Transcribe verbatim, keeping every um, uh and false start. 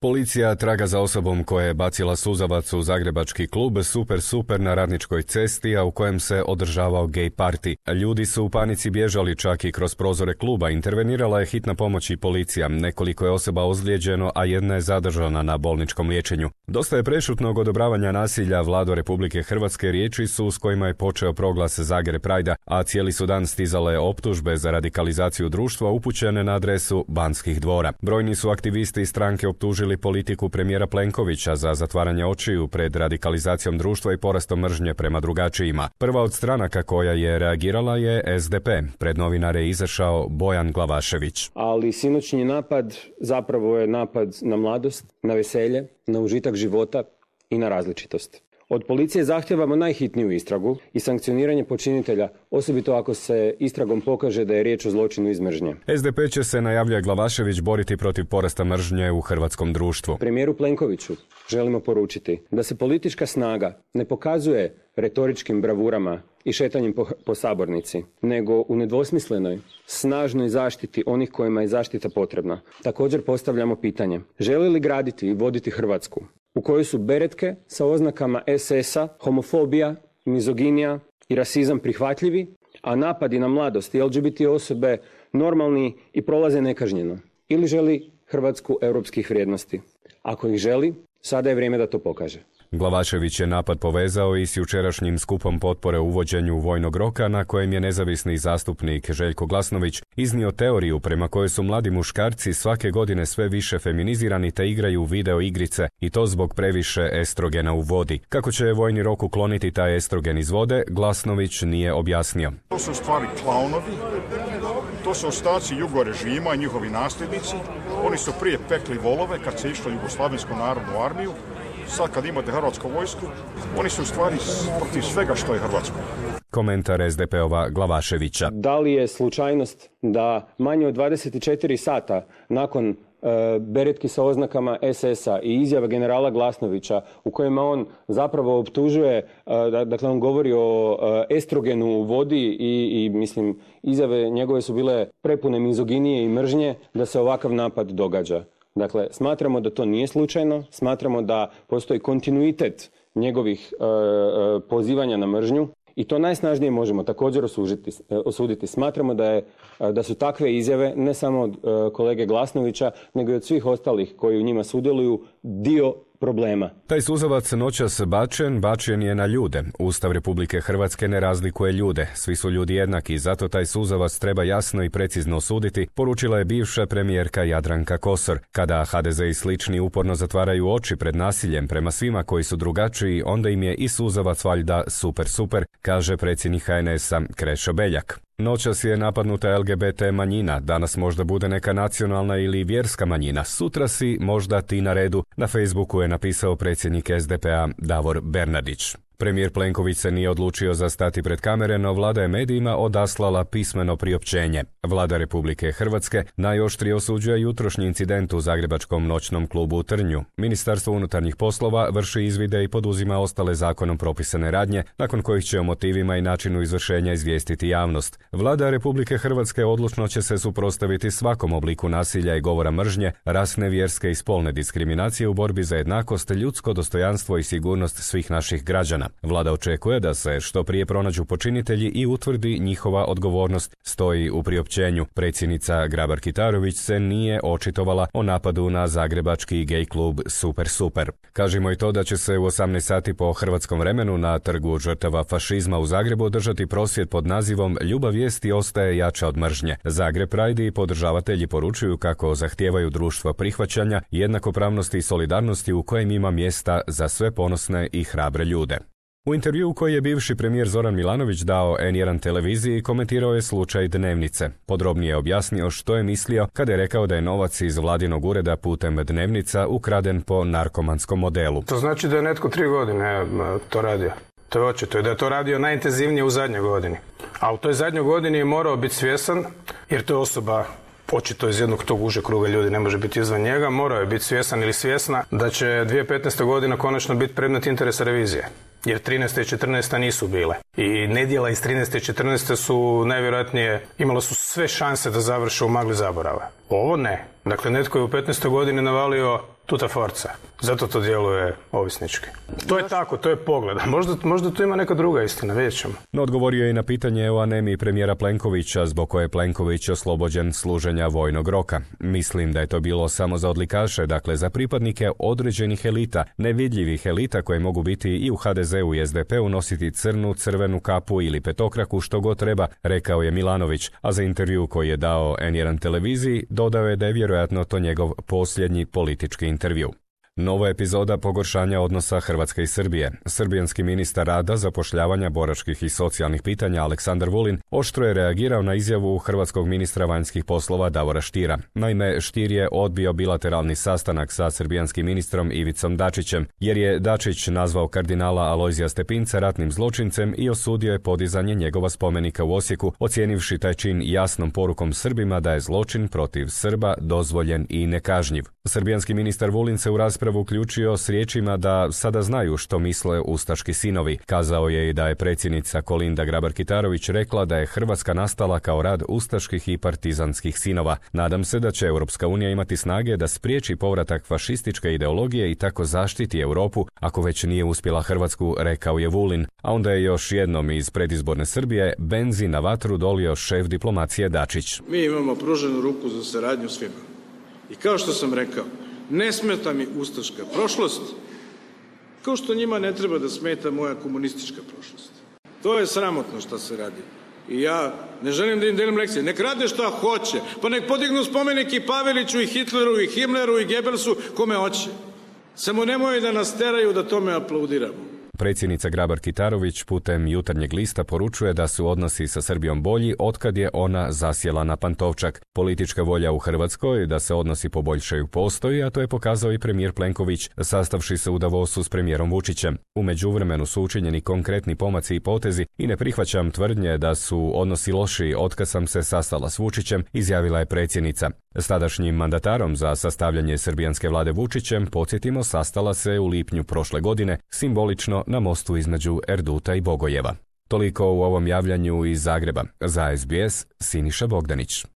Policija traga za osobom koja je bacila suzavac u zagrebački klub Super Super na Radničkoj cesti, a u kojem se održavao gej party. Ljudi su u panici bježali čak i kroz prozore kluba. Intervenirala je hitna pomoć i policija. Nekoliko je osoba ozlijeđeno, a jedna je zadržana na bolničkom liječenju. Dosta je prešutnog odobravanja nasilja. Vlado Republike Hrvatske riječi su s kojima je počeo proglas Zagreb Prajda, a cijeli su dan stizale optužbe za radikalizaciju društva upućene na adresu Banskih dvora. Brojni su aktivisti i stranke optužili politiku premijera Plenkovića za zatvaranje očiju pred radikalizacijom društva i porastom mržnje prema drugačijima. Prva od stranaka koja je reagirala je S D P. Pred novinare je izašao Bojan Glavašević. Ali sinoćnji napad zapravo je napad na mladost, na veselje, na užitak života i na različitost. Od policije zahtijevamo najhitniju istragu i sankcioniranje počinitelja, osobito ako se istragom pokaže da je riječ o zločinu iz mržnje. S D P će se, najavljuje Glavašević, boriti protiv porasta mržnje u hrvatskom društvu. Premijeru Plenkoviću želimo poručiti da se politička snaga ne pokazuje retoričkim bravurama i šetanjem po, po sabornici, nego u nedvosmislenoj, snažnoj zaštiti onih kojima je zaštita potrebna. Također postavljamo pitanje, želi li graditi i voditi Hrvatsku u kojoj su beretke sa oznakama S S-a, homofobija, mizoginija i rasizam prihvatljivi, a napadi na mladost i L G B T osobe normalni i prolaze nekažnjeno? Ili želi Hrvatsku europskih vrijednosti? Ako ih želi, sada je vrijeme da to pokaže. Glavašević je napad povezao i s jučerašnjim skupom potpore uvođenju vojnog roka, na kojem je nezavisni zastupnik Željko Glasnović iznio teoriju prema kojoj su mladi muškarci svake godine sve više feminizirani te igraju video igrice, i to zbog previše estrogena u vodi. Kako će vojni rok ukloniti taj estrogen iz vode, Glasnović nije objasnio. To su stvari klaunovi, to su ostaci jugo režima i njihovi nasljednici. Oni su prije pekli volove kad se išlo Jugoslavensku narodnu armiju. Sad kad imate hrvatsku vojsku, oni su u stvari protiv svega što je hrvatsko. Komentar S D P-ova Glavaševića. Da li je slučajnost da manje od dvadeset četiri sata nakon e, beretki sa oznakama S S-a i izjava generala Glasnovića u kojima on zapravo optužuje, e, dakle on govori o e, estrogenu u vodi i, i mislim izjave njegove su bile prepune mizoginije i mržnje, da se ovakav napad događa. Dakle, smatramo da to nije slučajno, smatramo da postoji kontinuitet njegovih e, e, pozivanja na mržnju i to najsnažnije možemo također osuditi. osuditi. Smatramo da, je, da su takve izjave ne samo od e, kolege Glasnovića, nego i od svih ostalih koji u njima sudjeluju dio problema. Taj suzavac noćas bačen, bačen je na ljude. Ustav Republike Hrvatske ne razlikuje ljude. Svi su ljudi jednaki, zato taj suzavac treba jasno i precizno osuditi, poručila je bivša premijerka Jadranka Kosor. Kada H D Z i slični uporno zatvaraju oči pred nasiljem prema svima koji su drugačiji, onda im je i suzavac valjda super super, kaže predsjednik H N S-a Krešo Beljak. Noćas je napadnuta L G B T manjina, danas možda bude neka nacionalna ili vjerska manjina, sutra si možda ti na redu, na Facebooku je napisao predsjednik S D P-a Davor Bernardić. Premijer Plenković se nije odlučio za stati pred kamere, no vlada je medijima odaslala pismeno priopćenje. Vlada Republike Hrvatske najoštrije osuđuje jutrošnji incident u zagrebačkom noćnom klubu u Trnju. Ministarstvo unutarnjih poslova vrši izvide i poduzima ostale zakonom propisane radnje, nakon kojih će o motivima i načinu izvršenja izvijestiti javnost. Vlada Republike Hrvatske odlučno će se suprotstaviti svakom obliku nasilja i govora mržnje, rasne, vjerske i spolne diskriminacije u borbi za jednakost, ljudsko dostojanstvo i sigurnost svih naših građana. Vlada očekuje da se što prije pronađu počinitelji i utvrdi njihova odgovornost, stoji u priopćenju. Predsjednica Grabar-Kitarović se nije očitovala o napadu na zagrebački gej klub Super Super. Kažemo i to da će se u osamnaest sati po hrvatskom vremenu na Trgu žrtava fašizma u Zagrebu održati prosvjed pod nazivom Ljubav vijesti ostaje jača od mržnje. Zagreb Pride i podržavatelji poručuju kako zahtijevaju društvo prihvaćanja, jednakopravnosti i solidarnosti u kojem ima mjesta za sve ponosne i hrabre ljude. U intervjuu koji je bivši premijer Zoran Milanović dao N jedan televiziji komentirao je slučaj Dnevnice. Podrobnije je objasnio što je mislio kada je rekao da je novac iz vladinog ureda putem Dnevnica ukraden po narkomanskom modelu. To znači da je netko tri godine to radio. To je očito da je to radio najintenzivnije u zadnjoj godini. A u toj zadnjoj godini je morao biti svjestan, jer to je osoba očito iz jednog tog uže kruga ljudi, ne može biti izvan njega, morao je biti svjestan ili svjesna da će dvije tisuće petnaesta godina konačno biti predmet interesa revizije. Jer trinaesta i četrnaesta nisu bile. I nedjela iz trinaeste i četrnaeste su najvjerojatnije, imalo su sve šanse da završe u magli zaborava. Ovo ne. Dakle, netko je u petnaestoj godini navalio tuta forca. Zato to djeluje ovisnički. To je tako, to je pogled. Možda, možda tu ima neka druga istina, vidjet ćemo. No odgovorio je i na pitanje o anemiji premijera Plenkovića, zbog koje je Plenković oslobođen služenja vojnog roka. Mislim da je to bilo samo za odlikaše, dakle za pripadnike određenih elita, nevidljivih elita koje mogu biti i u ha de zeu i es de pe u nositi crnu, crvenu kapu ili petokraku, što god treba, rekao je Milanović, a za intervju koji je dao en jedan televiziji dodao je da je vjerojatno to njegov posljednji politički intervju. Nova epizoda pogoršanja odnosa Hrvatske i Srbije. Srbijanski ministar rada, zapošljavanja, boračkih i socijalnih pitanja Aleksandar Vulin oštro je reagirao na izjavu hrvatskog ministra vanjskih poslova Davora Stiera. Naime, Stier je odbio bilateralni sastanak sa srbijanskim ministrom Ivicom Dačićem, jer je Dačić nazvao kardinala Alojzija Stepinca ratnim zločincem i osudio je podizanje njegova spomenika u Osijeku, ocijenivši taj čin jasnom porukom Srbima da je zločin protiv Srba dozvoljen i nekažnjiv. Srbijanski ministar Vulin se u raspravu uključio s riječima da sada znaju što misle ustaški sinovi. Kazao je i da je predsjednica Kolinda Grabar-Kitarović rekla da je Hrvatska nastala kao rad ustaških i partizanskih sinova. Nadam se da će Europska unija imati snage da spriječi povratak fašističke ideologije i tako zaštiti Europu, ako već nije uspjela Hrvatsku, rekao je Vulin. A onda je još jednom iz predizborne Srbije benzin na vatru dolio šef diplomacije Dačić. Mi imamo pruženu ruku za saradnju svima. I kao što sam rekao, ne smeta mi ustaška prošlost, kao što njima ne treba da smeta moja komunistička prošlost. To je sramotno što se radi. I ja ne želim da im delim lekcije. Nek rade šta hoće. Pa nek podignu spomenik i Paveliću, i Hitleru, i Himmleru, i Goebbelsu, kome hoće. Samo nemoj da nas teraju da tome aplaudiramo. Predsjednica Grabar-Kitarović putem Jutarnjeg lista poručuje da su odnosi sa Srbijom bolji otkad je ona zasjela na Pantovčak. Politička volja u Hrvatskoj da se odnosi poboljšaju postoji, a to je pokazao i premijer Plenković, sastavši se u Davosu s premijerom Vučićem. U međuvremenu su učinjeni konkretni pomaci i potezi i ne prihvaćam tvrdnje da su odnosi loši otkad sam se sastala s Vučićem, izjavila je predsjednica. S tadašnjim mandatarom za sastavljanje srbijanske vlade Vučićem, podsjetimo, sastala se u lipnju prošle godine, simbolično na mostu između Erduta i Bogojeva. Toliko u ovom javljanju iz Zagreba. Za es be es, Siniša Bogdanić.